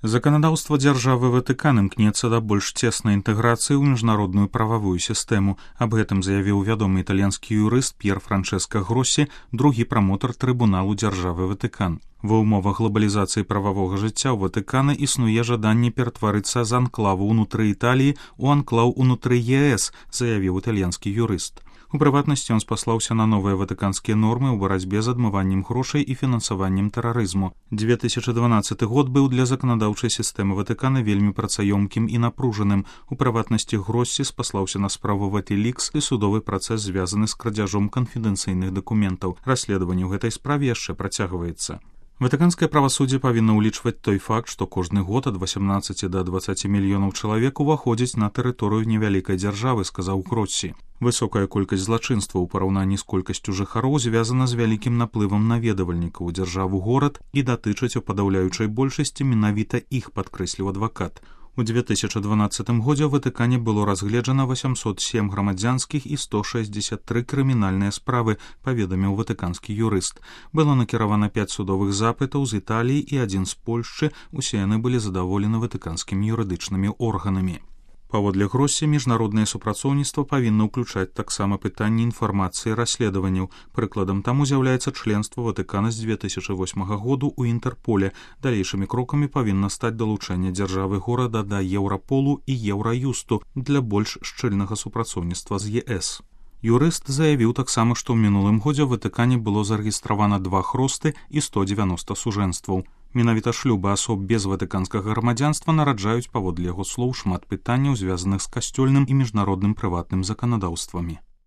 Заканадаўства дзяржавы Ватыкан імкнецца да больш цеснай інтэграцыі ў міжнародную прававую сістэму. Аб гэтым заявіў вядомы італьянскі юрыст П'ер Франчэска Гроссі, другі прамотар трыбуналу дзяржавы Ватыкан. Ва ўмовах глобалізацыі прававога жыцця ў Ватыкана існуе жаданне ператварыцца з анклаву ўнутры Італіі ў анклаў унутры ЕС, заявіў італьянскі юрыст. У прыватнасці ён спаслаўся на новыя ватыканскія нормы ў барацьбе з адмываннем грошай і фінансаваннем тэрарызму. 2012 год быў для заканадаўчай сістэмы Ватыкана вельмі працаёмкім і напружаным. У прыватнасці Гроссі спаслаўся на справу WikiLeaks і судовы працэс звязаны з крадзяжом канфідэнцыйных дакументаў. Расследаванне ў гэтай справе яшчэ працягваецца. Ватыканскае правасуддзе павінна ўлічваць той факт, што кожны год ад 18 да 20 мільёнаў чалавек уваходзіць на тэрыторыю невялікай дзяржавы, сказаў Гроссі. Высокая колькасць злачынства ў параўнанні з колькасцю жыхароў звязана з вялікім наплывам наведвальнікаў у дзяржаву-горад і датычаць у падаўляючай большасці менавіта іх, падкрэсліў адвакат. У 2012 годзе ў Ватыкане было разгледжана 807 грамадзянскіх і 163 крымінальныя справы, паведаміў ватыканскі юрыст. Было накіравана 5 судовых запытаў з Італіі і 1 з Польшчы, усе яны былі задаволены ватыканскімі юрыдычнымі органамі. Паводле Гроссі, міжнароднае супрацоўніцтва павінна ўключаць таксама пытанні інфармацыі расследаванняў. Прыкладам таму з'яўляецца членства Ватыкана з 2008 году ў Інтэрполе. Далейшымі крокамі павінна стаць далучэнне дзяржавы горада да Еўраполу і Еўраюсту для больш шчыльнага супрацоўніцтва з ЕС. Юрыст заявіў таксама, што ў мінулым годзе ў Ватыкане было зарэгістравана 2 хросты і 190 сужэнстваў. Менавіта шлюбы асоб без ватыканскага грамадзянства нараджаюць, паводле яго слоў, шмат пытанняў, звязаных з касцёльным і міжнародным прыватным заканадаўствамі.